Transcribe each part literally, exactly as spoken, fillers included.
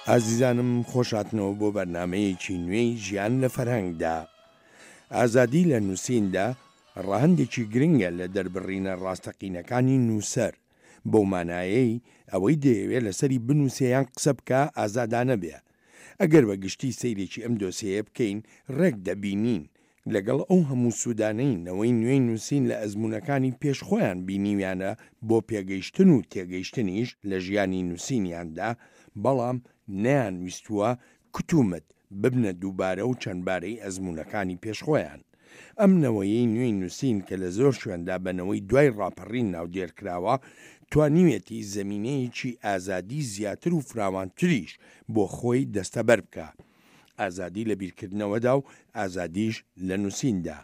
ئازیزانم خۆشهاتنەوە بۆ بەرنامەیەکی نوێی ژیان لە فەرهەنگدا. ئازادی لە نووسیندا ڕەهەندێکی گرنگە لە دەربڕینە ڕاستەقینەکانی نووسەر، بەو مانایەی ئەوەی دەیەوێ لەسەری بنووسێ یان قسە بکا ئازادانە بێ. ئەگەر بە گشتی سەیرێکی ئەم دۆسێیە بکەین ڕێک دەبینین لەگەڵ ئەو هەموو سوودانەی نەوەی نوێی نووسین لە ئەزموونەکانی پێش خۆیان بینیویانە بۆ پێگەیشتن و تێگەیشتنیش لە ژیانی نووسینیاندا، بەڵام نەیانویستووە کتومت ببنە دووبارە و چەندبارەی ئەزموونەکانی پێش خۆیان. ئەم نەوەیەی نوێی نووسین کە لە زۆر شوێندا بە نەوەی دوای ڕاپەڕین ناودێر کراوە، توانیویەتی زەمینەیەکی ئازادی زیاتر و فراوانتریش بۆ خۆی دەستەبەر بکا. ئازادی لە بیرکردنەوەدا و ئازادیش لە نووسیندا.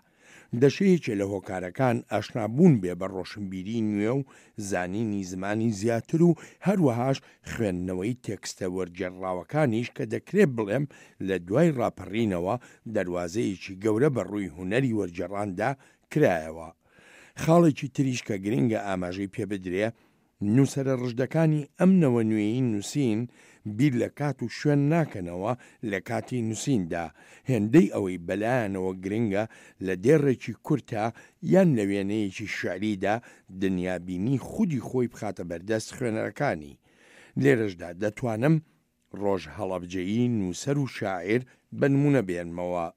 دەشێ یەکێ لە هۆکارەکان ئاشنابوون بێ بە ڕۆشنبیریی نوێ و زانینی زمانی زیاتر و هەروەهاش خوێندنەوەی تێکستە وەرگێڕراوەکانیش کە دەکرێ بڵێم لە دوای ڕاپەڕینەوە دەروازەیەکی گەورە بە ڕووی هونەری وەرگێڕاندا کرایەوە. خاڵێکی تریش کە گرنگە ئاماژەی پێ بدرێ، نووسەرە ڕژدەکانی ئەم نەوە نوێی نووسین بیر لە کات و شوێن ناکەنەوە لە کاتی نووسیندا، هێندەی ئەوەی بەلایانەوە گرنگە لە دێڕێکی کورتا یان لە وێنەیەکی شیعریدا دنیابینی خودی خۆی بخاتە بەردەست خوێنەرەکانی. لێرەشدا دەتوانم ڕۆژ هەڵەبجەیی نووسەر و شاعیر بە نموونە بێنمەوە.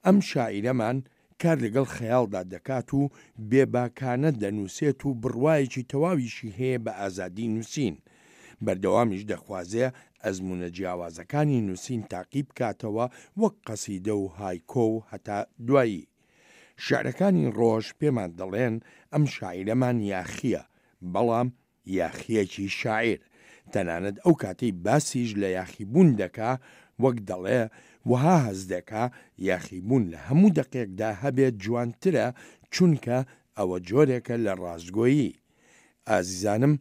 ئەم شاعیرەمان کار لەگەڵ خەیاڵدا دەکات و بێباکانە دەنووسێت و بڕوایەکی تەواویشی هەیە بە ئازادی نووسین. بەردەوامیش دەخوازێ ئەزموونە جیاوازەکانی نووسین تاقی بکاتەوە وەک قەسیدە و هایکۆ و هەتا دوایی. شیعرەکانی ڕۆژ پێمان دەڵێن ئەم شاعیرەمان یاخییە، بەڵام یاخییەکی شاعیر، تەنانەت ئەو کاتەی باسیش لە یاخیبوون دەکا، وەک دەڵێ، وەها هەست دەکا یاخیبوون لە هەموو دەقێکدا هەبێت جوانترە، چونکە ئەوە جۆرێکە لە ڕاستگۆیی. ئازیزانم،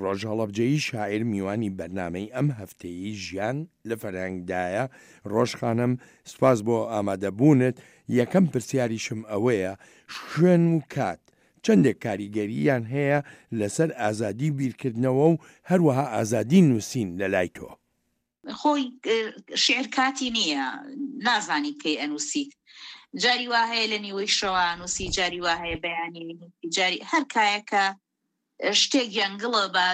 ڕۆژ هەڵەبجەیی شاعیر میوانی بەرنامەی ئەم هەفتەیەی ژیان لە فەرهەنگدایە، ڕۆژ خانم سوپاس بۆ ئامادەبوونت، یەکەم پرسیاریشم ئەوەیە شوێن و کات چەندێک کاریگەرییان هەیە لەسەر ئازادی بیرکردنەوە و هەروەها ئازادی نووسین لە لای تۆ؟ خۆی شیعر کاتی نییە، نازانی کەی ئەنووسیت، جاری وا هەیە لە نیوەی شەوە ئەنووسی، جاری وا هەیە بەیانی، جاری هەر کایەکە شتێک گەنگڵە بە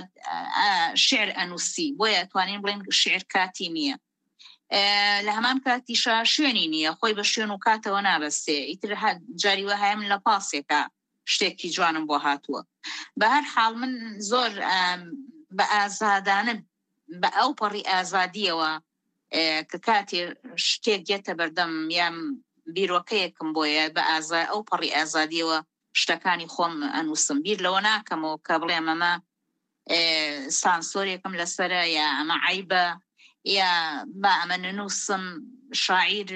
شعر ئەنووسی، بۆیە توانین بڵێن شعر کاتی نییە. لە هەمان کاتیشا شوێنی نییە، خۆی بە شوێن و کاتەوە نابەستێ. ئیتر جاری وا هەیە من لە پاسێکە شتێکی جوانم بۆ هاتووە. بە هەر حاڵ من زۆر بە ئازادانە، بە ئەو پەڕی ئازادیەوە کە کاتێ شتێک دێتە بەردەم یان بیرۆکەیەکم بۆیە بە ئازا ئەو پەڕی ئازادیەوە شتەکانی خۆم ئەنووسم، بیر لەوە ناکەمەوە کە بڵێم ئەمە سانسۆرێکم لەسەرە یا ئەمە عیبە یا با ئەمە نەنووسم. شاعیر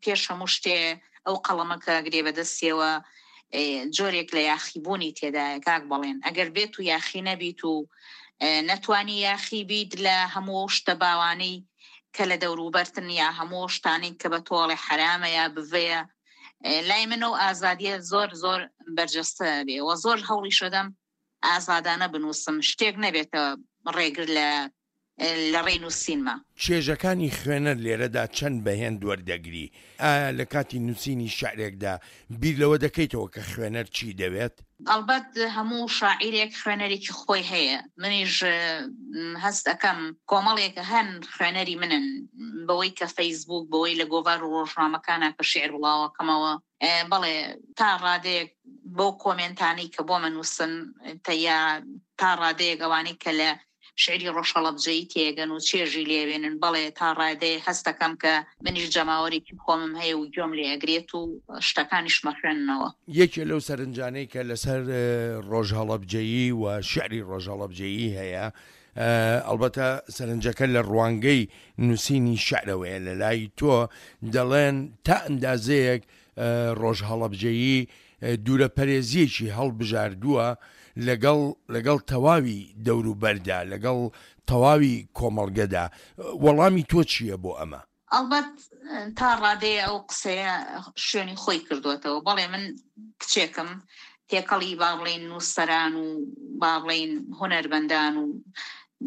پێش هەموو شتێ ئەو قەڵەمەکە گرێ بەدەستیەوە جۆرێک لە یاخیبوونی تێدایە کاک بەڵێن. ئەگەر بێت و یاخی نەبیت و نەتوانی یاخی بیت لە هەموو شتە باوانەی کە لە دەوروبەرتن یا هەموو شتانەی کە بە تۆڵێ حرامە یا بڤەیە، لای من ئەو ئازادیە زۆر زۆر بەرجەستە بێ و زۆر هەوڵی شەدەم ئازادانە بنووسم، شتێک نەبێتە ڕێگر لە لە ڕێی نووسینمە. چێژەکانی خوێنەر لێرەدا چەند بە هێند وەردەگری؟ ئایا لە کاتی نووسینی شیعرێکدا بیر لەوە دەکەیتەوە کە خوێنەر چی دەوێت؟ ئەڵبەت هەموو شاعیرێک خوێنەرێکی خۆی هەیە، منیش هەست ئەکەم کۆمەڵێک هەن خوێنەری منن، بەوەی کە فەیسبوک، بەوەی لە گۆڤار و ڕۆژنامەکانە کە شیعر بڵاوەکەمەوە، بەڵێ تا ڕادەیەک بەو کۆمێنتانەی کە بۆ منووسن، یا تا ڕادەیەک ئەوانەی کە لە شعری ڕۆژهەڵەبجەیی تێگەن و چێژی لێوێنن، بەڵێ تا ڕادەیە هەستەکەم کە منیش جەماوەرێکی خۆمم هەیە و گوێم لێ ئەگرێت و شتەکانیش مەخوێننەوە. یەکێ لەو سەرنجانەی کە لەسەر ڕۆژهەڵەبجەیی و شعری ڕۆژهەڵەبجەیی هەیە، ئەڵبەتە سەرنجەکە لە ڕوانگەی نووسینی شعرەوەیە لە لای تۆ، دەڵێن تا ئەندازەیەک ڕۆژهەڵەبجەیی دوورەپەرێزیەکی هەڵبژاردووە لەگەڵ لەگەڵ تەواوی دەوروبەردا، لەگەڵ تەواوی کۆمەڵگەدا، وەڵامی تۆ چییە بۆ ئەمە؟ ئەڵبەت تا ڕادەیە ئەو قسەیە شوێنی خۆی کردوێتەوە. بەڵێ من کچێکم تێکەڵی با بڵێین نووسەران و با بڵێین هونەربەندان و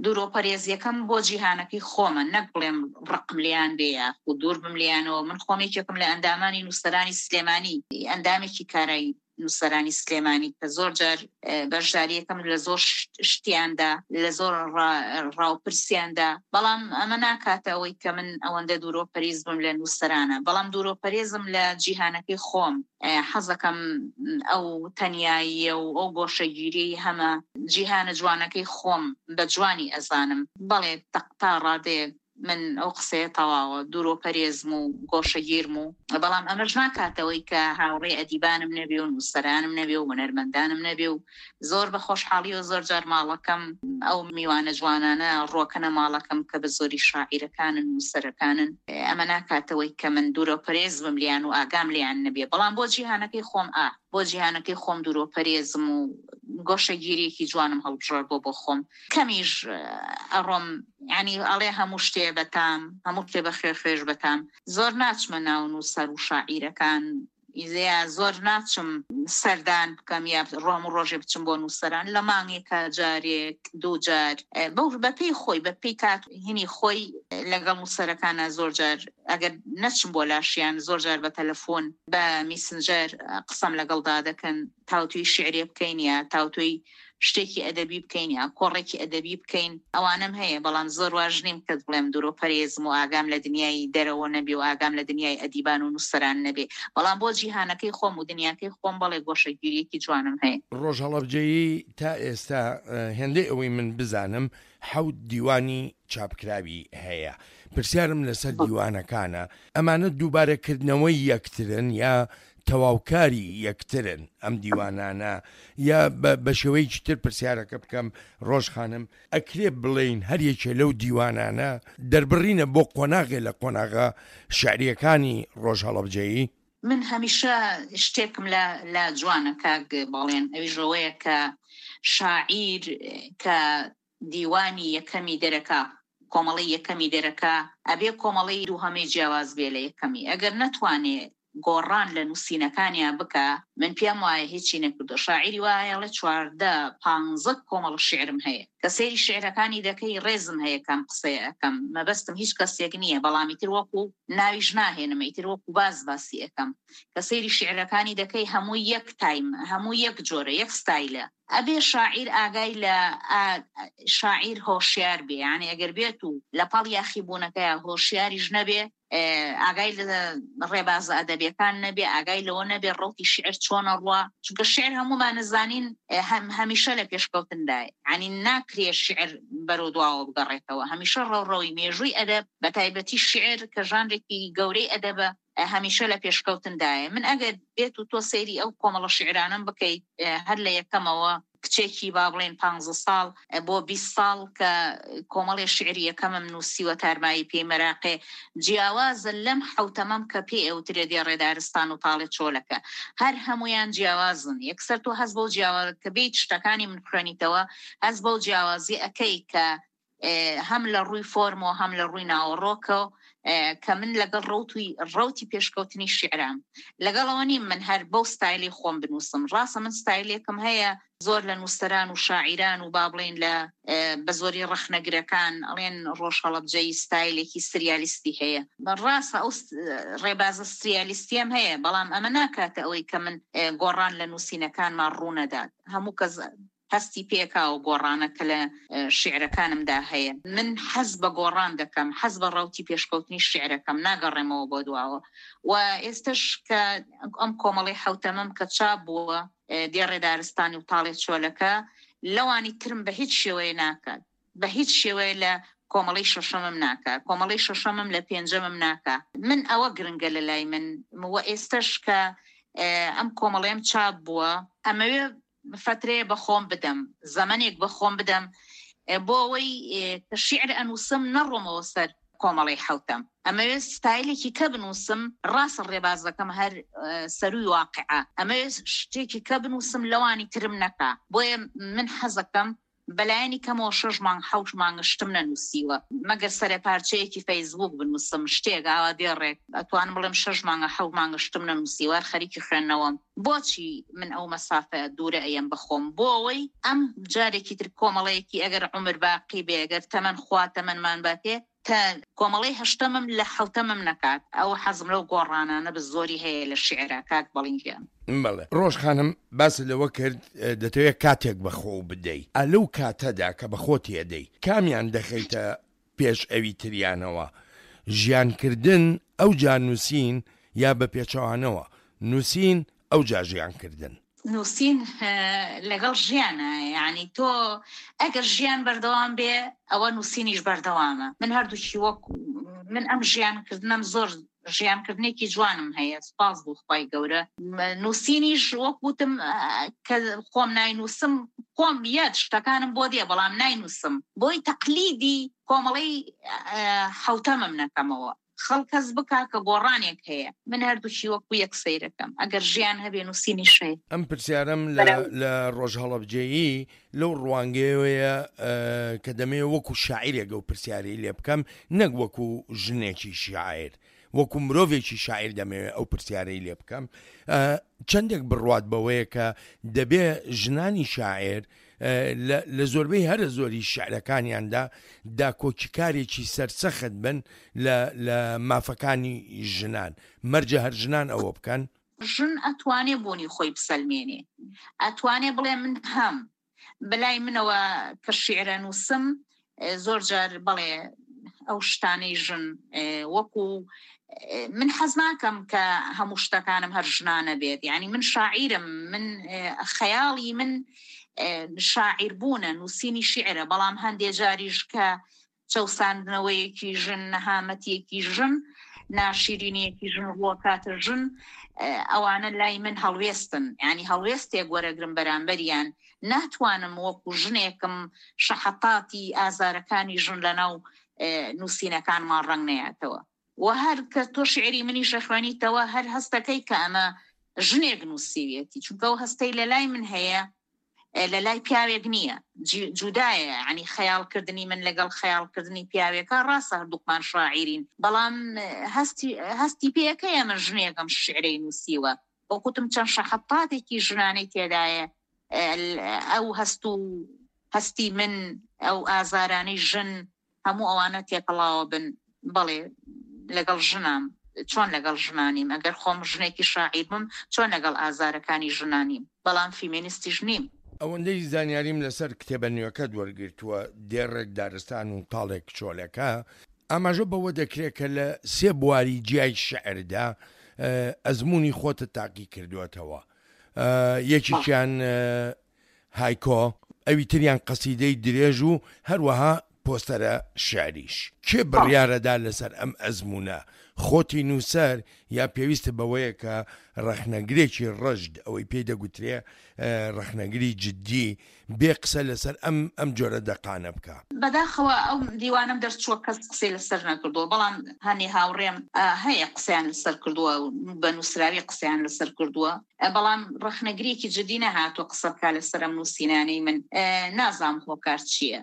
دوورۆپەرێزیەکەم بۆ جیهانەکەی خۆمە، نەک بڵێم ڕقم لێیان بێ یاخود دوور بم لێیانەوە. من خۆم یەکێکم لە ئەندامانی نووسەرانی سلێمانی، ئەندامێکی کارای نووسەرانی سلێمانی کە زۆر جار بەشداریەکەم لە زۆر شتیاندا، لە زۆر ڕاوپرسیاندا، بەڵام ئەمە ناکاتە ئەوەی کە من ئەوەندە دوورۆپەرێز بم لە نووسەرانە، بەڵام دوورۆپەرێزم لە جیهانەکەی خۆم. حەزەکەم ئەو تەنیاییە و ئەو گۆشەگیری هەمە جیهانە جوانەکەی خۆم بە جوانی ئەزانم. بەڵێ تا ڕادەیەک من ئەو قسەیە تەواوە، دوورۆپەرێزم و گۆشەگیرم و، بەڵام ئەمەش ناکاتەوەی کە هاوڕێ ئەدیبانم نەبێ و نووسەرانم نەبێ و هونەرمەندانم نەبێ و زۆر بە خۆشحاڵی و زۆر جار ماڵەکەم ئەو میوانە جوانانە ڕۆکەنە ماڵەکەم کە بە زۆری شاعیرەکانن نووسەرەکانن. ئەمە ناکاتەوەی کە من دوورۆپەرێز بم لیان و ئاگام لیان نەبێ، بەڵام بۆ جیهانەکەی خۆم ئا بۆ جیهانەکەی خۆم دوورۆپەرێزم و گۆشەگیریەکی جوانم هەڵبژارد بۆ بۆ خۆم. کەمیش ئەڕۆم، یعنی ئەڵێ هەموو شتێ بەتام، هەموو شتێ بە خوێ خوێش بەتام. زۆر ناچمە ناو نووسەر و شاعیرەکان، یا زۆر ناچم سەردان بکەم یا ڕۆم و ڕۆژێ بچم بۆ نووسەران، لە مانگێکا جارێک دوو جار بەو بەپێی خۆی بەپێی کات هینی خۆی لەگەڵ نووسەرەکانە زۆر جار ئەگەر نەچم بۆ لاشیان زۆر جار بە تەلەفۆن بە میسنجەر قسەم لەگەڵدا دەکەن، تاوتوی شعرێ بکەین یا تاوتوی شتێکی ئەدەبی بکەین یا کۆڕێکی ئەدەبی بکەین، ئەوانم هەیە. بەڵام زۆر واژ نیم کە بڵێم دوورۆپەرێزم و ئاگام لە دنیای دەرەوە نەبێ و ئاگام لە دنیای ئەدیبان و نووسەران نەبێ، بەڵام بۆ جیهانەکەی خۆم و دنیاکەی خۆم بەڵێ گۆشەگیریەکی جوانم هەیە. ڕۆژ هەڵەبجەیی تا ئێستا هێندەی ئەوەی من بزانم حەوت دیوانی چاپکراوی هەیە. پرسیارم لەسەر دیوانەکانە، ئەمانە دووبارەکردنەوەی یەکترن یا تەواوکاری یەکترن ئەم دیوانانە؟ یا بە شێوەیەکی تر پرسیارەکە بکەم ڕۆژ خانم، ئەکرێ بڵێین هەر یەکێ لەو دیوانانە دەربڕینە بۆ قۆناغێ لە قۆناغە شعریەکانی ڕۆژ هەڵەبجەیی؟ من هەمیشە شتێکم لە لە جوانە کاک بەڵێن، ئەویش ئەوەیە کە شاعیر کە دیوانی یەکەمی دەرەکا، کۆمەڵی یەکەمی دەرەکا، ئەبێ کۆمەڵی دووهەمەی جیاواز بێ لە یەکەمی. ئەگەر نەتوانێ گۆڕان لە نووسینەکانیان بکە، من پێم وایە هیچی نەکردو. شاعیری وایە لە چواردە پانزە کۆمەڵ شعرم هەیە کە سەیری شعرەکانی دەکەی ڕێزم هەیە کەم قسەیە ئەەکەم، مەبەستم هیچ کەسێک نییە، بەڵام ئیتر وەکو ناویش ناهێنم، ئیتر وەکو باز باسی ئەەکەم. کە سەیری شعرەکانی دەکەی هەموو یەک تایم، هەموو یەک جۆرە، یەک ستایلە. ئەبێ شاعیر ئاگای لە شاعیر هۆشیار بێ، یعنی ئەگەر بێت و لە پاڵ یاخیبوونەکەیە هۆشیاریش نەبێ، ئاگای لە ڕێبازە ئەدەبیەکان نەبێ، ئاگای لەوە نەبێ ڕەوتی شعر چۆنە ڕوا، چونکە شعر هەمومان نزانین هەمیشە لە پێشکەوتندایە، یعنی ناکرێ شعر بەرەو دواوە بگەڕێتەوە، هەمیشە ڕەوڕەوی مێژووی ئەدەب بە تایبەتی شعر کە ژانرێکی گەورەی ئەدەبە هەمیشە لە پێشکەوتندایە. من ئەگەر بێت و تۆ سەیری ئەو کۆمەڵە شعرانم بکەیت هەر لە یەکەمەوە کچێکی با بڵێن پانزە ساڵ بۆ بیست ساڵ کە کۆمەڵی شعری یەکەمم نووسیوە تارمایی پێی مەراقێ، جیاوازە لەم حەوتەمەم کە پێ ئەوترێ دێڕێدارستان و تاڵێ چۆلەکە، هەر هەمویان جیاوازن. یەکسەر تۆ هەست بەو جیاواز کە بیت شتەکانی من خوێنیتەوە، هەست بەو جیاوازی ئەکەی کە هەم لە ڕووی فۆرمەوە هەم لە ڕووی ناوەڕۆکەوە کە من لەگەڵ ڕەوتی ڕەوتی پێشکەوتنی شعرام، لەگەڵەوە نیم من هەر بەو ستایلی خۆم بنووسم. ڕاستە من ستایلێکم هەیە زۆر لە نووسەران و شاعیران و با بڵێن لە بە زۆری ڕەخنەگرەکان ئەڵێن ڕۆژ هەڵەبجەیی ستایلێکی سریالیستی هەیە. ڕاستە ئەو ڕێبازە سریالیستیم هەیە، بەڵام ئەمە ناکاتە ئەوەی کە من گۆڕان لە نووسینەکانمان ڕوونەدات. هەموو کەس هەستی پێکا و گۆڕانە کە لە شعرەکانمدا هەیە. من حەز بە گۆڕان دەکەم، حەز بە ڕەوتی پێشکەوتنی شعرەکەم، ناگەڕێمەوە بۆ دواوە. و ئێستش کە ئەم کۆمەڵی حەوتەمەم کە چاپ بووە دێڕێدارستانی و تاڵێ چۆلەکە، لەوانی ترم بە هیچ شێوەیە ناکات، بە هیچ شێوەیە لە کۆمەڵی شەشەمم ناکا، کۆمەڵی شەشەمم لە پێنجەمم ناکا. من ئەوە گرنگە لە لای من. و ئێستش کە ئەم کۆمەڵیم چاپ بووە، ئەمەوێ فترەیە بە خۆم بدەم، زەمەنێک بە خۆم بدەم بۆ ئەوەی کە شیعر ئەنووسم نەڕۆمەوە سەر کۆمەڵی حەوتەم. ئەمەوێ ستایلێکی کە بنووسم، ڕاستە ڕێبازەکەم هەر سەروی واقعە، ئەمەوێ شتێکی کە بنووسم لەوانی ترم نەکا. بۆیە من حەزەکەم بەلایەنی کەمەوە شەش مانگ حەوت مانگ شتم نەنووسیوە، مەگەر سەرە پارچەیەکی فەیسبوک بنووسم شتێک ئاوا دێڕێک، ئەتوانم بڵێم شەش مانگە حەوت مانگە شتم نەنووسیوە، هەر خەریکی خوێندنەوەم. بۆچی من ئەو مەسافە دوورە ئەیەم بەخۆم؟ بۆ ئەوەی ئەم جارێکی تر کۆمەڵەیەکی ئەگەر عومر باقی بێ، ئەگەر تەمەن خوا تەمەنمان باتێ، کە کۆمەڵەی هەشتەمم لە حەوتەمم نەکات. ئەو حەزم لەو گۆڕانانە بە زۆری هەیە لە شیعرا کاک بەڵین گیان. بەڵێ ڕۆژ خانم، باست لەوە کرد دەتەوێت کاتێک بە خۆو بدەی، ئا لەو کاتەدا کە بە خۆتی ئەدەی کامیان دەخەیتە پێش ئەوی تریانەوە؟ ژیان کردن ئەوجا نووسین یا بە پێچەوانەوە نووسین ئەوجا ژیان کردن؟ نووسین لەگەڵ ژیانە، یعنی تۆ ئەگەر ژیان بەردەوام بێ ئەوە نووسینیش بەردەوامە. من هەردووکی وەک من ئەم ژیان کردنم زۆر ژیانکردنێکی جوانم هەیە، سوپاس بۆ خوای گەورە. نووسینیش وەک وتم کە خۆم ناینووسم، خۆم یاد شتەکانم بۆ دێ بەڵام ناینووسم، بۆی تەقلیدی کۆمەڵەی حەوتەمم نەکەمەوە. خەڵک هەست بکا کە گۆڕانێک هەیە. من هەردووکی وەکو یەک سەیرەکەم، ئەگەر ژیان هەبێ نووسینیش هەیە. ئەم پرسیارم لە ڕۆژ هەڵەبجەیی لەو ڕوانگەیەوەیە کە دەمەوێت وەکو شاعیرێک ئەو پرسیارەی لێ بکەم، نەک وەکو ژنێکی شاعیر، وەکو مرۆڤێکی شاعیر دەمەوێت ئەو پرسیارەی لێ بکەم. چەندێک بڕوات بەوەیە کە دەبێ ژنانی شاعیر لە زۆربەی هەرە زۆری شعرەکانیاندا داکۆکیکارێکی سەرسەخت بن لە مافەکانی ژنان، مەرجە هەر ژنان ئەوە بکەن؟ ژن ئەتوانێ بوونی خۆی بسەلمێنێ، ئەتوانێ بڵێ من هەم. بەلای منەوە کە شیعرە نووسم زۆر جار بڵێ ئەو شتانەی ژن وەکو من حەز ناکەم کە هەموو شتەکانم هەر ژنانە بێت. یعنی من شاعیرم، من خەیاڵی من شاعیر بوونە، نووسینی شیعرە، بەڵام هەندێ جاریش کە چەوساندنەوەیەکی ژن، نەهامەتیەکی ژن، ناشیرینیەکی ژن ڕووەکاتە ژن، ئەوانە لای من هەڵوێستن. یعنی هەڵوێستێک وەرەگرم بەرامبەریان. ناتوانم وەکو ژنێکم شەحەتاتی ئازارەکانی ژن لەناو نووسینەکانمان ڕەنگ نەیاتەوە. و هەر کە تۆ شیعری منیش ئەخوێنیتەوە هەر هەستەکەی کە ئەمە ژنێک نووسیویەتی، چونکە ئەو هەستەی لە لای من هەیە لە لای پیاوێک نییە، جودایە. یعنی خەیاڵکردنی من لەگەڵ خەیاڵکردنی پیاوێکە ڕاستە هەردووکمان شاعیرین، بەڵام هەستی هەستی پێەکەیە من ژنێکم شیعرەی نووسیوە. وەکوتم چەند شەحەتاتێکی ژنانەی تێدایە، ئەو هەست و هەستی من، ئەو ئازارانەی ژن، هەموو ئەوانە تێکەڵاوە بن. بەڵێ لەگەڵ ژنام، چۆن لەگەڵ ژنانیم؟ ئەگەر خۆم ژنێکی شاعیر بم چۆن لەگەڵ ئازارەکانی ژنانیم؟ بەڵام فیمینیستیش نیم. ئەوەندەی زانیاریم لەسەر کتێبە نوێکەت وەرگرتووە، دێڕێک دارستان و تاڵێک چۆلەکە، ئاماژە بەوە دەکرێت کە لە سێ بواری جیای شعردا ئەزمموی خۆتە تاقی کردووەتەوە. یەکێکیان هایکۆ، ئەوی تریان قەسیدەی درێژ و هەروەها پۆستەرە شعریش. کێ بڕیارەدا لەسەر ئەم ئەزمونە؟ خۆتی نووسەر یا پێویستە بەوەیە کە ڕەخنەگرێکی ڕەشد، ئەوەی پێی دەگوترێ ڕەخنەگری جدی، بێ قسە لەسەر ئەم ئەم جۆرە دەقانە بکە؟ بەداخەوە ئەو دیوانم دەرچووە کەس قسەی لەسەر نەکردووە، بەڵام هەنێ هاوڕێم هەیە قسەیان لەسەر کردووە، بە نووسراوی قسەیان لەسەر کردووە، بەڵام ڕەخنەگرێکی جدی نەهاتووە قسە بکا لەسەر ئەم نووسینانەی من. نازانم هۆکار چییە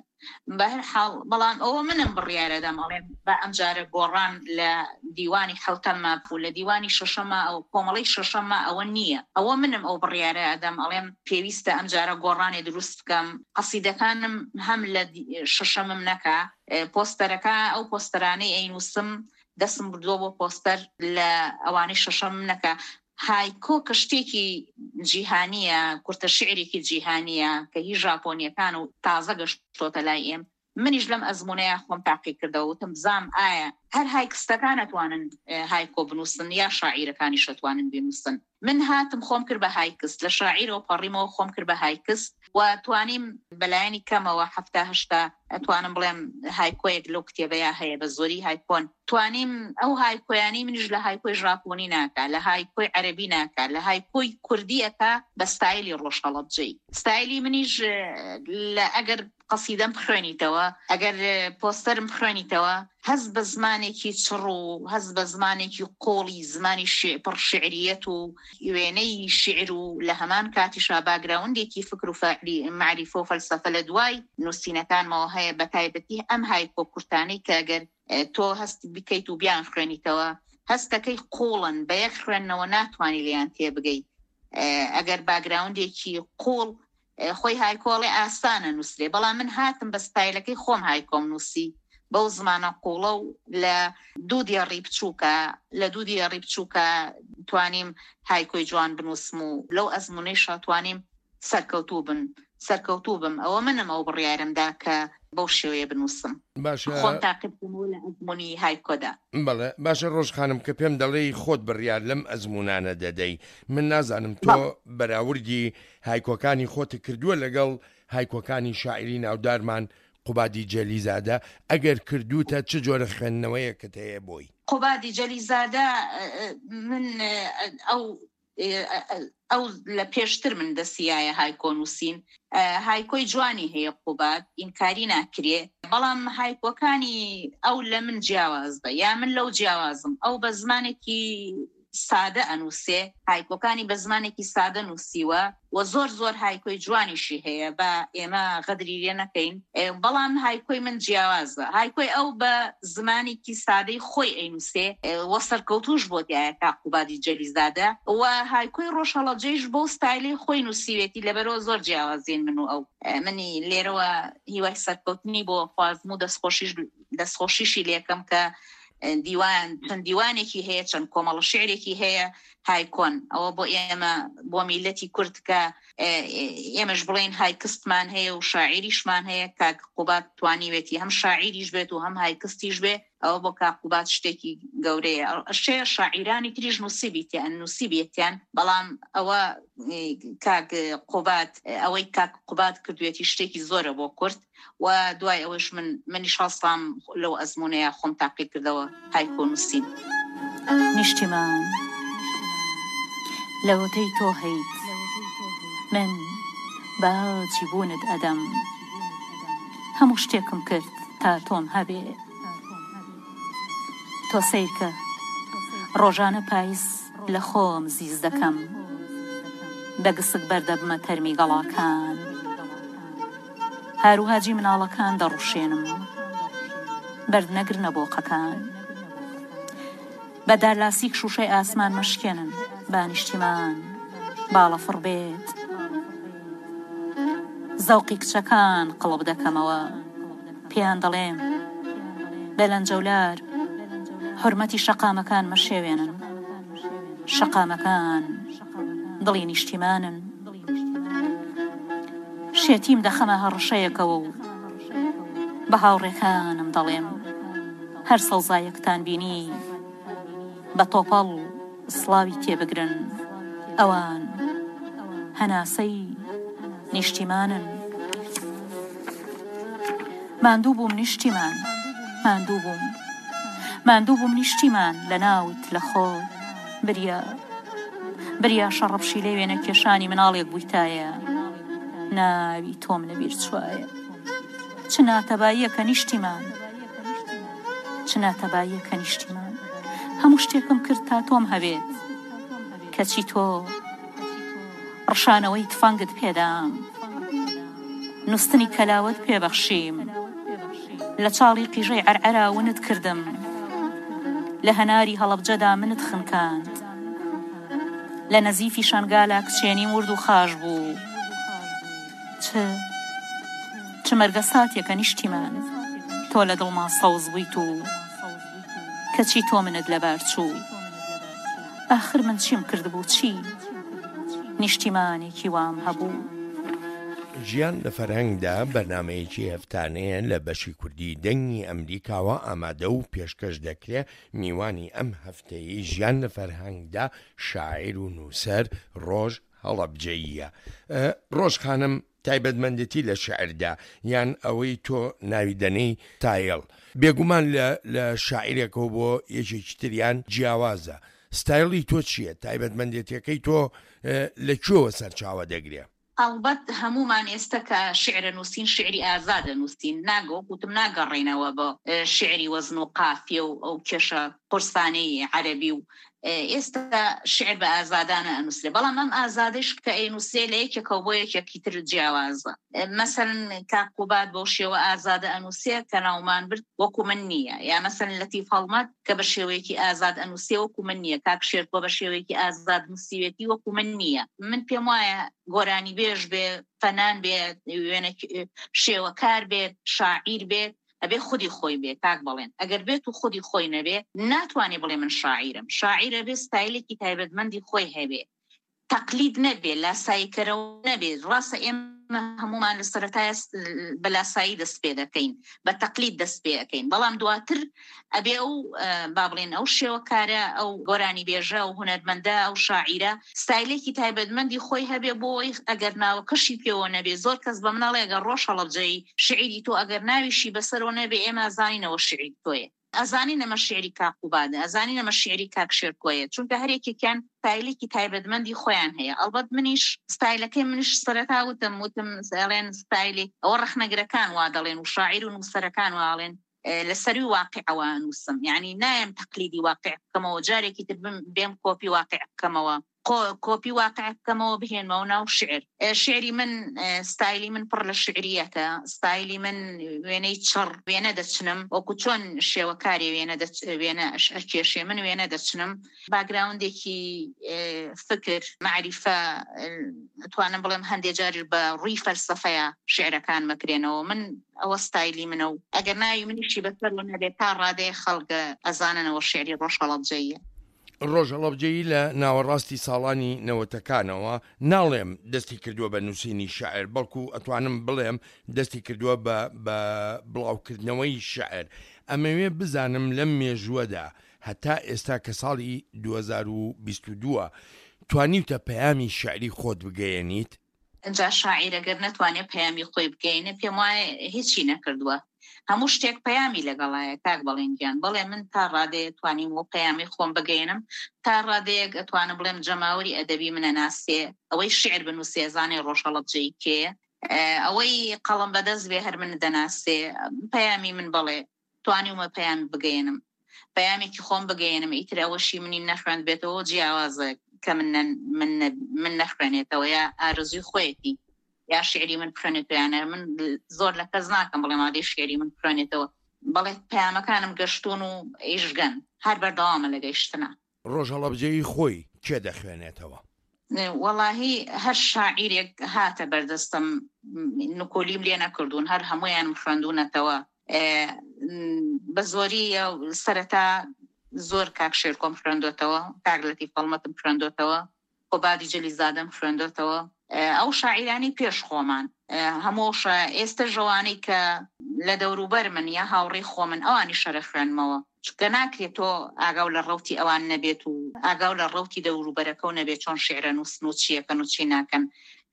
بەهەر حاڵ، بەڵام ئەوە منم بڕیارەدەم ئەڵێم بە ئەمجارە گۆڕان لە دیوانی حەوتەمما و لە دیوانی شەشەمما ئەو کۆمەڵەی شەشەمما ئەوە نییە. ئەوە منم ئەو بڕیارە ئەدەم، ئەڵێم پێویستە ئەمجارە گۆڕانێ دروست بکەم. قەسیدەکانم هەم لە شەشەمم نەکا، پۆستەرەکە ئەو پۆستەرانەی ئەینووسم دەستم بردووە بۆ پۆستەر لە ئەوانەی شەشەمم نەکا. هایکۆ کە شتێکی جیهانیە، کورتە شعرێکی جیهانیە کە هی ژاپۆنیەکان و تازە گەشتۆتە لای ئێم، منیش لەم ئەزمونەیە خۆم تاقی کردەوە، وتم بزانم ئایا هەر هایکستەکان ئەتوانن هایکۆ بنووسن یا شاعیرەکانیش ئەتوانن بنووسن. من هاتم خۆم کرد بە هایکست، لە شاعیرەوە پەڕیمەوە خۆم کرد بە هایکست و توانیم بەلایەنی کەمەوە هەفتا هەشتا ئەتوانم بڵێم هایکۆیەک لەو کتێبەیە هەیە، بە زۆری هایکۆن. توانیم ئەو هایکۆیانی منیش لە هایکۆی ژاپۆنی ناکا، لە هایکۆی عەرەبی ناکا، لە هایکۆی کوردیەکە بە ستایلی ڕۆژهەڵەبجەی. ستایلی منیش لە ئەگەر قەسیدەم بخوێنیتەوە، ئەگەر پۆستەرم بخوێنیتەوە، هەست بە زمانێکی چڕ و هەست بە زمانێکی قۆڵی زمانی پڕ شعریەت و وێنەی شعر و لە هەمان کاتیشا باگراوندێکی فکر و مەعریفە و فەلسەفە لە دوای نووسینەکانمەوە هەیە، بە تایبەتی ئەم هایکۆ کورتانەی کە ئەگەر تۆ هەست بکەیت و بیان خوێنیتەوە هەستەکەی قوڵن، بە یەک خوێندنەوە ناتوانانی لێیان تێبگەی. ئەگەر باگراوندێکی قوڵ خۆی هایکۆڵێ ئاسانە نووسرێ، بەڵام من هاتم بە ستایلەکەی خۆم هایکۆم نووسی بەو زمانە قوڵە و لە دوو دێڕی بچووکە، لە دوو دێڕی بچووکە توانیم هایکۆی جوان بنووسم و لەو ئەزمونەیشا توانیم سەرکەوتوو بن سەرکەوتوو بم. ئەوە منم ئەو بڕیارمدا کە بەو شێوەیە بنووسم. باشە خۆم تاقیب بکەمەوە لە ئەزمونی هایکۆدا. بەڵێ باشە ڕۆژ خانم، کە پێم دەڵێی خۆت بڕیار لەم ئەزمونانە دەدەی، من نازانم تۆ بەراوردی هایکۆکانی خۆت کردووە لەگەڵ هایکۆکانی شاعیری ناودارمان قوبادی جەلیزادە، ئەگەر کردوتە چ جۆرە خوێندنەوەیەکت هەیە بۆی؟ قوبادی جەلیزادە من ئەو ئەو لە پێشتر من دەستیایە هایکۆ نووسین، هایکۆی جوانی هەیە قوباد، ئینکاری ناکرێ، بەڵام هایکۆکانی ئەو لە من جیاواز بە، یا من لەو جیاوازم. ئەو بە زمانێکی سادە ئەنووسێ، هایکۆکانی بە زمانێکی سادە نووسیوە و زۆر زۆر هایکۆی جوانیشی هەیە، بە ئێمە غەدری لێ نەکەین، بەڵام هایکۆی من جیاوازە. هایکۆی ئەو بە زمانێکی سادەی خۆی ئەینووسێ و سەرکەوتوش بۆ تایە کا قوبادی جەلیزادە، و هایکۆی ڕۆژهەڵەبجەیش بەو ستایلی خۆی نووسیوێتی، لەبەرەوە زۆر جیاوازین من و ئەو. منی لێرەوە هیوای سەرکەوتنی بۆ خوازم و دەستخۆشیشی لێکەم کە دیوان چەند دیوانێکی هەیە، چەند کۆمەڵە شعرێکی هەیە هایکۆن. ئەوە بۆ ئێمە بۆ میلەتی کورد کە ئێمەش بڵێن هایکستمان هەیە و شاعیریشمان هەیە، کاک قوباد توانیوێتی هەم شاعیریش بێت و هەم هایکستیش بێ، ئەوە بۆ کاک قوباد شتێکی گەورەیە. شێ شاعیرانی تریش نووسیبیتیان نووسیبێتیان، بەڵام ئەوە کاک قوباد ئەوەی کاک قوباد کردوێتی شتێکی زۆرە بۆ کورد. و دوای ئەوەش من منیش هەڵسام لەو ئەزمونەیە خۆم تاقی کردەوە هایکۆ نووسین. نیشتیمان لەوەتەی تۆ هەیت من باجی بوونت ئەدەم، هەموو شتێکم کرد تا تۆم هەبێ. تۆ سەیرکە ڕۆژانە پاییز لە خۆم زیز دەکەم، بە گسک بەردەبمە تەرمی گەڵاکان، هاروهاجی مناڵەکان دەڕوشێنم، بەرد نەگرنە بۆقەکان، بە دارلاسیک شوشەی ئاسمان مەشکێنن، با نیشتیمان باڵەفڕ بێت. زەوقی کچەکان قڵب دەکەمەوە، پێیان دەڵێم بە لەنجەولار حرمەتی شەقامەکان مەشێوێنن، شەقامەکان دڵی نیشتیمانن. شێتیم دەخەمە هەڕەشەیەکەوە و بە هاوڕێکانم دەڵێم هەر سەوزایەکتان بینی بە تۆپەڵ سڵاوی تێبگرن، ئەوان هەناسەی نیشتیمانن. ماندوو بووم نیشتیمان، ماندوو بووم، ماندوو بووم نیشتیمان، لە ناوت لە خۆ بریا بریا شەڕەپشی لێ وێنە کێشانی مناڵێک بوویتایە، ناوی تۆم لەبیر چوایە. چ ناتەباییەکە نیشتیمان، چ ناتەباییەکە نیشتیمان، هەموو شتێکم کرد تا تۆم هەبێت، کەچی تۆ ڕشانەوەی تفەنگت پێدام، نووستنی کەلاوەت پێبەخشیم، لە چاڵی قیژەی عەرعەرا ونت کردم، لە هەناری هەڵەبجەدا منت خنکاند، لە نەزیفی شەنگالا کچێنیم ورد و خاش بوو. چ چ مەرگە ساتێکە نیشتیمان، تۆ لە دڵما سەوز بوویت و کەچی تۆ منت لەبار چوو. ئاخر من چیم کردبوو؟ چی؟ نیشتیمانێکی وام هەبوو. ژیان لە فەرهەنگدا بەرنمەیەکی هەفتانەیە لە بەشی کوردی دەنگی ئەمریکاوە ئامادە و پێشکەش دەکرێ. میوانی ئەم هەفتەیەی ژیان لە فەرهەنگدا شاعیر و نووسەر ڕۆژ هەڵەبجەییە. ڕۆژ خانم، تایبەتمەندێتی لە شیعردا یان ئەوەی تۆ ناوی دەنێی ستایل بێگومان لە لە شاعیرێکەوە بۆ یەکێکی تریان جیاوازە ستایلی تۆ چییە تایبەتمەندێتیەکەی تۆ لە کوێوە سەرچاوە دەگرێ؟ ئەڵبەت هەموومان ئێستا کە شیعرە نووسین شیعری ئازادە نووسین ناگە وەک وتم ناگەڕێینەوە بۆ شیعری وەزن و قافیە و ئەو کێشە قورسانەی عەرەبی و ئێستا شیعر بە ئازادانە ئەنووسرێ بەڵام ئەم ئازادەیش کە ئەینووسرێ لە یەکێکەوە بۆ یەکێکی تر جیاوازە مەسەلەن کاک قوباد بەو شێوە ئازادە ئەنووسێ کە ناومان برد وەکو من نییە یا مەسەلەن لەتیف هەڵمەت کە بە شێوەیەکی ئازاد ئەنووسێ وەکو من نییە کاک شێرکۆ بە شێوەیەکی ئازاد نووسیوێتی وەکو من نییە من پێم وایە گۆرانیبێژ بێ فەنان بێ وێنە شێوەکار بێت شاعیر بێت ئەبێ خودی خۆی بێ کاک بەڵێن ئەگەر بێت و خودی خۆی نەبێ ناتوانێ بڵێ من شاعیرم شاعیرە بێ ستایلێکی تایبەتمەندی خۆی هەبێ تەقلید نەبێ لاساییکەرەوە نەبێ ڕاستە ئێمە هەمومان لە سەرەتای بە لاسایی دەست پێ دەکەین بە تەقلید دەست پێ ئەەکەین بەڵام دواتر ئەبێ ئەو با بڵێن ئەو شێوەکارە ئەو گۆرانی بێژە و هونەرمەندە ئەو شاعیرە ستایلێکی تایبەتمەندی خۆی هەبێ بۆی ئەگەر ناوەکەشی پێوە نەبێ زۆر کەس بە مناڵێ ئەگەر ڕۆژ هەڵەبجەیی شعری تۆ ئەگەر ناویشی بەسەرەوە نەبێ ئێمە زانینەوە شعری تۆیە ئەزانین ئەمە شعری کاک قوبادە ئەزانین ئەمە شعری کاک شێرکۆیە چونکە هەر یەکێکیان ستایلێکی تایبەتمەندی خۆیان هەیە ئەڵبەت منیش ستایلەکەی منیش سەرەتا وتم وتم ئەڵێن ستایلی ئەوە ڕەخنەگرەکان وا دەڵێن و شاعیر و نووسەرەکان وا ئەڵێن لە سەروی واقعەوە نووسم یعنی نایم تەقلیدی واقع بکەمەوە جارێکی تر بێم کۆپی واقع بکەمەوە کۆپی واقع بکەمەوە بهێنمەوە ناو شعر شعری من ستایلی من پڕ لە شعریەتە ستایلی من وێنەی چڕ وێنە دەچنم وەکو چۆن شێوەکاری وێنە وێنە ئەکێشێ من وێنە دەچنم باگراوندێکی فکر معریفە توانم بڵێم هەندێ جاریش بە ڕووی فەلسەفەیە شعرەکان مەکرێنەوە من ئەوە ستایلی منە و ئەگەر ناوی منیشی بەسەر نەبێت تا ڕادەیە خەڵکە ئەزاننەوە شعری ڕۆژهەڵەبجەیە. ڕۆژ هەڵەبجەیی لە ناوەڕاستی ساڵانی نەوەتەکانەوە ناڵێم دەستی کردووە بە نووسینی شعر بەڵکو ئەتوانم بڵێم دەستی کردووە بە بە بڵاوکردنەوەی شعر ئەمەوێ بزانم لەم مێژووەدا هەتا ئێستا کە ساڵی دوو هەزار و بیست و دوو توانیوتە پەیامی شعری خۆت بگەیەنیت؟ جا شاعیر ئەگەر نەتوانێ پەیامی خۆی بگەیەنێ پێم وایە هیچی نەکردووە هەموو شتێک پەیامی لەگەڵایە کاک بەڵێن گیان بەڵێ من تا ڕادەیە توانیم و پەیامی خۆم بگەیەنم تا ڕادەیەک ئەتوانم بڵێم جەماوەری ئەدەبی منە ناسێ ئەوەی شعر بنووسێ زانێ ڕۆژهەڵەبجەیی کێیە ئەوەی قەڵەم بەدەست بێ هەر من دەناسێ پەیامی من بەڵێ توانیومە پەیام بگەیەنم پەیامێکی خۆم بگەیەنم ئیتر ئەوەشی منی نەخوێند بێتەوە جیاوازە کە من من من نەخوێنێتەوە یا ئارزوی خۆیەتی یا شعری من بخوێنێتەوە یانە من زۆر لە کەس ناکەم بڵێ مادەی شعری من بخوێنێتەوە بەڵێ پەیامەکانم گەشتون و ئیشگەن هەر بەردەوامە لە گەیشتنە. ڕۆژ هەڵەبجەیی خۆی کێ دەخوێنێتەوە؟ وەڵاهی هەر شاعیرێک هاتە بەردەستم نکۆلیم لێ نەکردوون هەر هەموویانم خوێندوونەتەوە بە زۆری سەرەتا زۆر کاک شێرکۆم خوێندۆتەوە کاک لەتیف هەڵمەتم خوێندۆتەوە قوبادی جەلیزادەم خوێندۆتەوە ئەو شاعیرانی پێش خۆمان هەموو ئێستا ژەوانەی کە لە دەوروبەر من یا هاوڕێی خۆمن ئەوانی شەرە خوێنمەوە چونکە ناکرێت تۆ ئاگاو لە ڕەوتی ئەوان نەبێت و ئاگاو لە ڕەوتی دەوروبەرەکە و نەبێت چۆن شیعرە نووسن و چیەکەن و چی ناکەن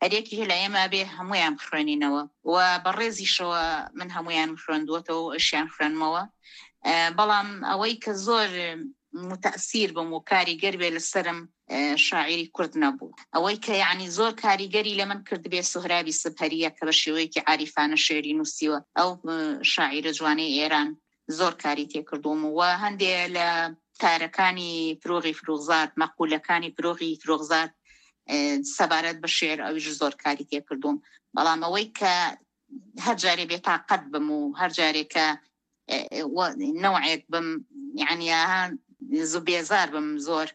هەریەکی لە ئێمە بێ هەمویان بخوێنینەوە و بەڕێزیشەوە من هەمویان خوێندووەتەوە و ئەشیان خوێنمەوە بەڵام ئەوەی کە زۆر متەسیر بم و کاریگەر بێ لەسەرم شاعیری کورد نەبوو ئەوەی کە یعنی زۆر کاریگەری لە من کردبێ سوهرابی سپهریە کە بە شێوەیەکی عاریفانە شعری نووسیوە ئەو شاعیرە جوانەی ئێران زۆر کاری تێکردوم و هەندێ لە تارەکانی فروغی فروغزاد مەقولەکانی فروغی فروغزاد سەبارەت بە شعر ئەویش زۆر کاری تێکردوم بەڵام ئەوەی کە هەر جارێ بێتاقەت بم و هەر جارێک کە نەوعێک بم یعنی زوو بێزار بم زۆر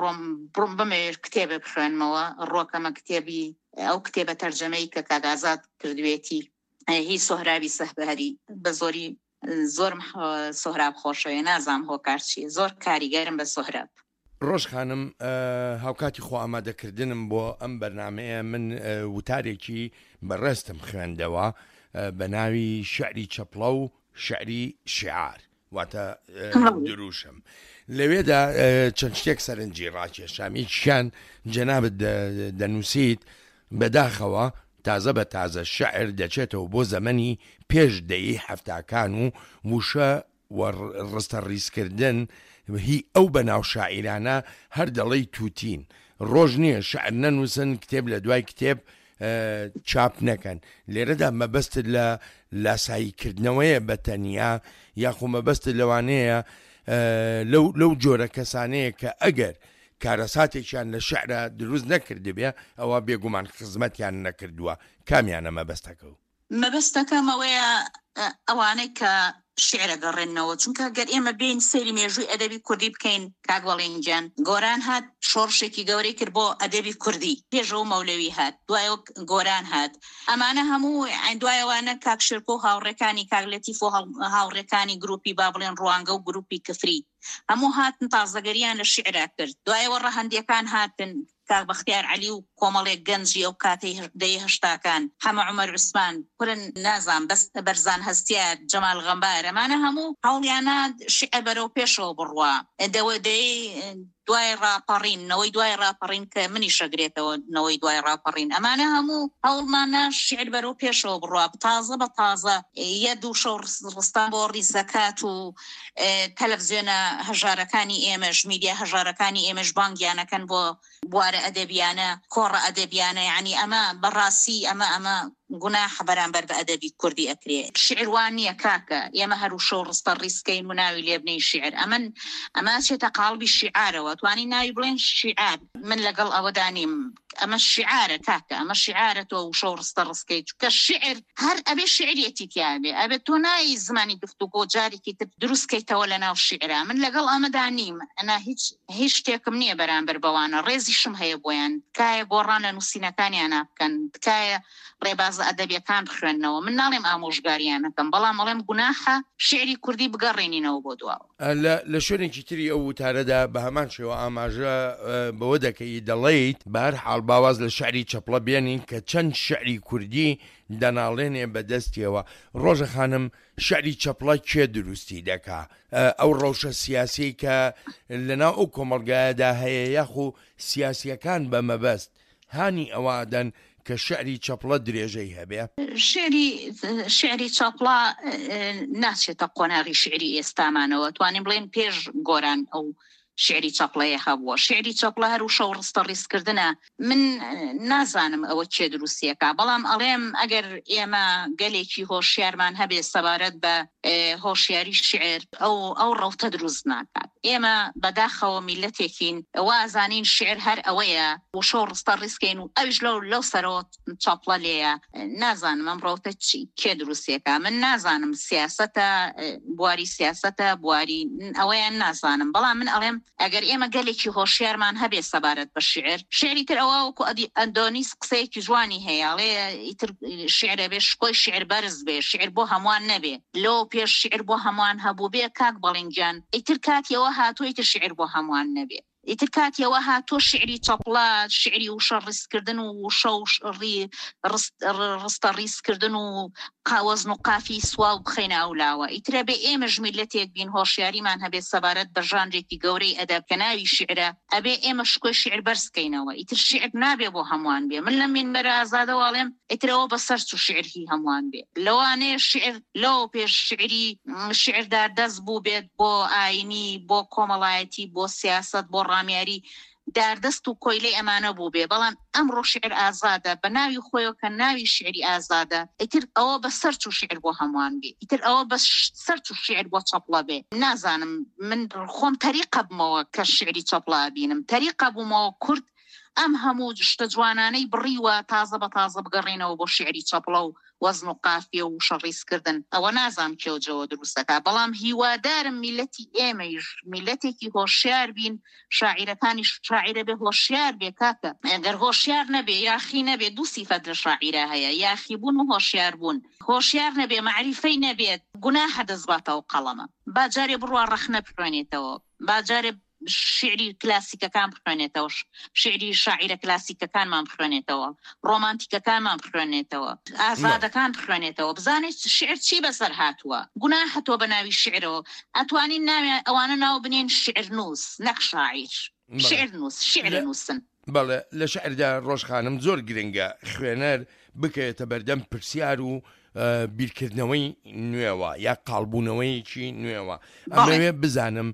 ڕۆم بڕم بمەوێت کتێبێ بخوێنمەوە ڕۆکەمە کتێبی ئەو کتێبە تەرجەمەی کە کاک ئازاد کردوێتی هی سۆهرابی سەهبەری بە زۆری زۆرم سۆهراب خۆشەوێ نازام هۆکار چییە زۆر کاریگەرم بە سۆهراب. ڕۆژ خانم هاوکاتی خۆ ئامادەکردنم بۆ ئەم بەرنامەیە من وتارێکی بەڕێزتم خوێندەوە بە ناوی شعری چەپڵە و شعری شیعار واتە دروشم لەوێدا چەند شتێک سەرنجی ڕاکێشام یەکیان جەنابت دەنووسیت بەداخەوە تازە بە تازە شعر دەچێتەوە بۆ زەمەنی پێش دەیەی حەفتاکان و وشە و ڕستە ڕیزکردن هی ئەو بەناو شاعیرانە هەر دەڵێی تووتین. ڕۆژ نییە شعر نەنووسن، کتێب لە دوای کتێب چاپ نەکەن. لێرەدا مەبەستت لە لاساییکردنەوەیە بە تەنیا یاخۆ مەبەستت لەوانەیە لەو لەو جۆرە کەسانەیە کە ئەگەر کارەساتێکیان لە شعرا دروست نەکردبێ ئەوە بێگومان خزمەتیان نەکردووە. کامیانە مەبەستەکە؟ مەبەستەکەم ئەوەیە ئەوانەی کە شعر ئەگەڕێننەوە، چونکە گەر ئێمە بێین سەیری مێژووی ئەدەبی کوردی بکەین کاک وەڵین گیان، گۆران هات شۆڕشێکی گەورەی کرد بۆ ئەدەبی کوردی، پێشەوە مەولەوی هات، دوایەوە گۆران هات، ئەمانە هەموو دوایەوانە کاک شێرکۆ و هاوڕێکانی کاک لەتیف و هاوڕێکانی گروپی با بڵێن ڕوانگە و گروپی کفری هەموو هاتن تازەگەریان لە شعرا کرد، دوایەوە ڕەهەندیەکان هاتن کاک بەختیار عەلی و کۆمەڵێک گەنجی ئەو کاتەی دەیەی هەشتاکان، حەمە عومەر عوسمان، کورن نازام بەس بەرزان هەستیار، جەمال غەمبار، ئەمانە هەموو هەوڵیانا شیعر بەرەو پێشەوە بڕوا. دەوە دەیەی دوای ڕاپەڕین، نەوەی دوای ڕاپەڕین کە منیش ئەگرێتەوە نەوەی دوای ڕاپەڕین، ئەمانە هەموو هەوڵماننا شیعر بەرەو پێشەوە بڕوا، تازە بە تازە یە دوو شەو ڕستان بۆ ڕیزەکات و تەلەفزیۆنە هەژارەکانی ئێمەش، میدیا هەژارەکانی ئێمەش بانگیانەکەن بۆ بوارە ئەدەبیانە، کۆڕە ئەدەبیانە، یعنی ئەمە بەڕاستی ئەمە ئەمە گوناحە بەرامبەر بە ئەدەبی کوردی ئەکرێ. شیعر وا نییە کاکە، ئێمە هەر وشە و ڕستە ڕیزکەین و ناوی لێ بنێین شیعر، ئەمن ئەمە ئەچێتە قاڵبی شیعارەوە، توانین ناوی بڵێن شیعار، من لەگەڵ ئەوەدا نیم، ئەمە شیعارە کاکە، ئەمە شیعارە تۆ وشە و ڕستە ڕزکەی، چونکە شیعر هەر ئەبێ شیعریەتی تیا بێ، ئەبێ تۆ نایی زمانی گفتوگۆ جارێکی تر دروست کەیتەوە لەناو شیعرا، من لەگەڵ ئەمەدا نیم، ئەنا هیچ هیچ شتێکم نییە بەرامبەر بەوانە، ڕێزیشم هەیە بۆیان، تکایە گۆڕان لە نووسینەکانیانا بکەن، تکایە ڕێبازە ئەدەبیەکان بخوێننەوە، من ناڵێم ئامۆژگاریان ئەکەم، بەڵام ئەڵێم گوناحە شیعری کوردی بگەڕێنینەوە بۆ دواوە. لە لە شوێنێکی تری ئەو وتارەدا بە هەمان شێوە ئاماژە بەوە دەکەی دەڵێیت، بە هەر حاڵ با واز لە شیعری چەپڵە بێنین کە چەند شیعری کوردی دەناڵێنێ بە دەستیەوە. ڕۆژە خانم شیعری چەپڵە کێ دروستی دەکا؟ ئەو ڕەوشە سیاسیەی کە لە ناو ئەو کۆمەڵگایەدا هەیە یاخو سیاسیەکان بە مەبەست هانی ئەوە ئەدەن کە شیعری چەپڵە درێژەی هەبێ؟ شیعری شیعری چەپڵە ناچێتە قۆناغی شیعری ئێستامانەوە، توانین بڵێن پێش گۆران ئەو شیعری چەپڵەیە هەبووە. شیعری چەپڵە هەر وشە و ڕستە ڕیزکردنە. من نازانم ئەوە کێ دروستیەکە، بەڵام ئەڵێم ئەگەر ئێمە گەلێکی هۆشیارمان هەبێ سەبارەت بە هۆشیاری شیعر، ئەو ئەو ڕەوتە دروست ناکات. ئێمە بەداخەوە میلەتێکین وازانین شیعر هەر ئەوەیە وشە و ڕستە ڕیزکەین و ئەویش لەو لەو سەرەوە چەپڵە لێیە. نازانم ئەم ڕەوتە چی کێ دروستیەکە، من نازانم سیاسەتە، بواری سیاسەتە، بواری ئەوەیان نازانم، بەڵام من ئەڵێم ئەگەر ئێمە گەلێکی هۆشیارمان هەبێ سەبارەت بە شیعر، شیعری تر ئەوە وەکو ئەدی ئەندۆنیس قسەیەکی جوانی هەیە، ئەڵێ ئیتر شیعر ئەبێ شکۆی شیعر بەرز بێ، شیعر بۆ هەمووان نەبێ. لەوە پێش شیعر بۆ هەمووان هەبوو بێ کاک بەڵین گیان، ئیتر کاتی ئەوە هاتووە ئیتر شیعر بۆ هەمووان نەبێ. ئیتر کاتی ئەوە هاتووە شیعری چەپڵە، شیعری وشە ڕیزکردن و وشە و ڕستە ڕیزکردن و وەزن و قافی سواو بخەینە ئەو لاوە. ئیتر ئەبێ ئێمەش میللەتێک بین هۆشیاریمان هەبێت سەبارەت بە ژانرێکی گەورەی ئەدەب کە ناوی شیعرە، ئەبێ ئێمە شکۆی شیعر بەرز کەینەوە. ئیتر شیعر نابێ بۆ هەمووان بێ. من لەم مینبەرە ئازادەوە ئەڵێم ئیتر ئەوە بەسەر چوو شیعر هی هەمووان بێ. لەوانەیە شیعر لەوە پێش شیعری شیعر داردەست بووبێت بۆ ئاینی، بۆ کۆمەڵایەتی، بۆ سیاسەت، بۆ ڕامیاری، داردەست و کۆیلەی ئەمانە بووبێ، بەڵام ئەمڕۆ شیعر ئازادە بە ناوی خۆیەوە کە ناوی شیعری ئازادە، ئیتر ئەوە بە سەر چوو شیعر بۆ هەمووان بێ، ئیتر ئەوە بە سەر چوو شیعر بۆ چەپڵە بێ. نازانم من خۆم تەریقە بمەوە کە شیعری چەپڵە ئەبینم، تەریقە بوومەوە کورد ئەم هەموو شتە جوانانەی بڕیوە تازە بە تازە بگەڕێنەوە بۆ شیعری چەپڵە و وەزن و قافیە و وشە ڕیزکردن، ئەوە نازانم کێ و جەوە دروست دەکا، بەڵام هیوادارم میللەتی ئێمەیش میللەتێکی هۆشیار بین، شاعیرەکانیش شاعیرە بێ هۆشیار بێ کاکە، گەر هۆشیار نەبێ یاخی نەبێ، دوو سیفەت لە شاعیرا هەیە، یاخی بوون و هۆشیار بوون، هۆشیار نەبێ مەعریفەی نەبێت گوناحە دەست باتەوە قەڵەمە، با جارێ بڕوا ڕەخنە بخوێنێتەوە، با جارێ شیعری کلاسیکەکان بخوێنێتەوە، شیعری شاعیرە کلاسیکەکانمان بخوێنێتەوە، ڕۆمانتیکەکانمان بخوێنێتەوە، ئازادەکان بخوێنێتەوە، بزانێت شیعر چی بەسەر هاتووە. گوناحە تۆ بە ناوی شیعرەوە ئەتوانین ناویان ئەوانە ناو بنێن شیعرنووس نەک شاعیر، شیعرنووس، شیعر نووسن. بەڵێ، لە شیعردا ڕۆژ خانم زۆر گرنگە خوێنەر بکەوێتە بەردەم پرسیار و بیرکردنەوەی نوێوە یا قاڵبوونەوەیەکی نوێوە. ئەمەوێ بزانم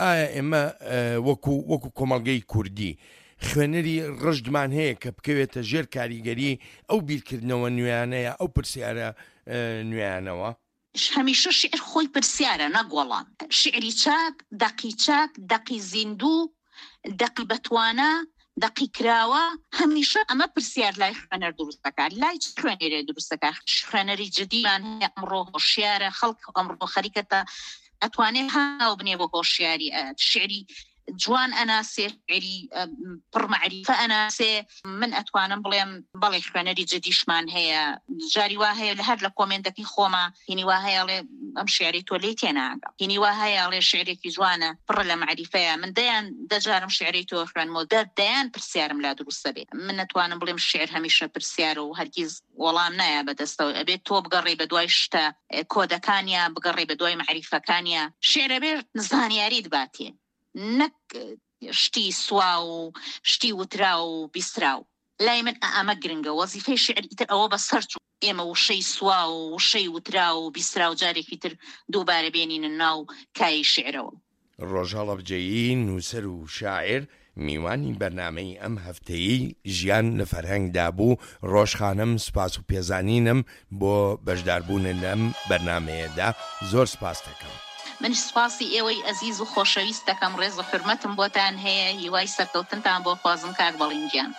ئایا ئێمە وەکو وەکو کۆمەڵگەی کوردی خوێنەری ڕژدمان هەیە کە بکەوێتە ژێر کاریگەری ئەو بیرکردنەوە نوێیانەیە، ئەو پرسیارە نوێیانەوە؟ هەمیشە شیعر خۆی پرسیارە نەک وەڵام. شیعری چاک، دەقی چاک، دەقی زیندوو، دەقی بەتوانا، دەقی کراوە، هەمیشە ئەمە پرسیار لای خوێنەر دروست دەکات. لای چ خوێنەرێ دروست دەکات؟ خوێنەری جدیمان هەیە ئەمڕۆ هۆشیارە، خەڵک ئەمڕۆ خەریکە تا ئەتوانێ هاو بنێ بۆ هۆشیاری، شیعری جوان ئەناسێ، شیعری پڕ مەعریفە ئەناسێ. من ئەتوانم بڵێم بەڵێ خوێنەری جدیشمان هەیە. جاری وا هەیە لە هەر لە کۆمێنتەکەی خۆما هینی وا هەیە ئەڵێ ئەم شیعری تۆ لێی تێناگەم، هینی وا هەیە ئەڵێ شیعرێکی جوانە پڕە لە مەعریفەیە. من دەیان دەجارم شیعری تۆ خوێنمەوە، دەیان پرسیارم لا دروستە بێ. من ئەتوانم بڵێم شیعر هەمیشە پرسیارە و هەرگیز وەڵام نایە بەدەستەوە. ئەبێت تۆ بگەڕێی بە دوای شتە کۆدەکانیا، بگەڕێی بە دوای مەعریفەکانیا. شیعر ئەبێ زانیاریت باتێ، نەک شتی سوا و شتی وتراو و بیستراو. لای من ئەمە گرنگە. وەزیفەی شیعر ئیتر ئەوە بەسەر چوو. ئێمە وشەی سوا و وشەی وتراو و بیستراو جارێکی تر دووبارە بێنینە ناو کایەی شیعرەوە. ڕۆژ هەڵەبجەیی نووسەر و شاعیر میوانی بەرنامەی ئەم هەفتەیەی ژیان لە فەرهەنگدا بوو. ڕۆژ خانم سوپاس و پێزانینم بۆ بەشداربوونت لەم بەرنامەیەدا، زۆر سوپاست دەکەم. منیش سوپاسی ئێوەی ئەزیز و خۆشەویست دەکەم، ڕێز و حورمەتم بۆتان هەیە، هیوای سەرکەوتنتان بۆ خوازم کاک بەڵین گیان.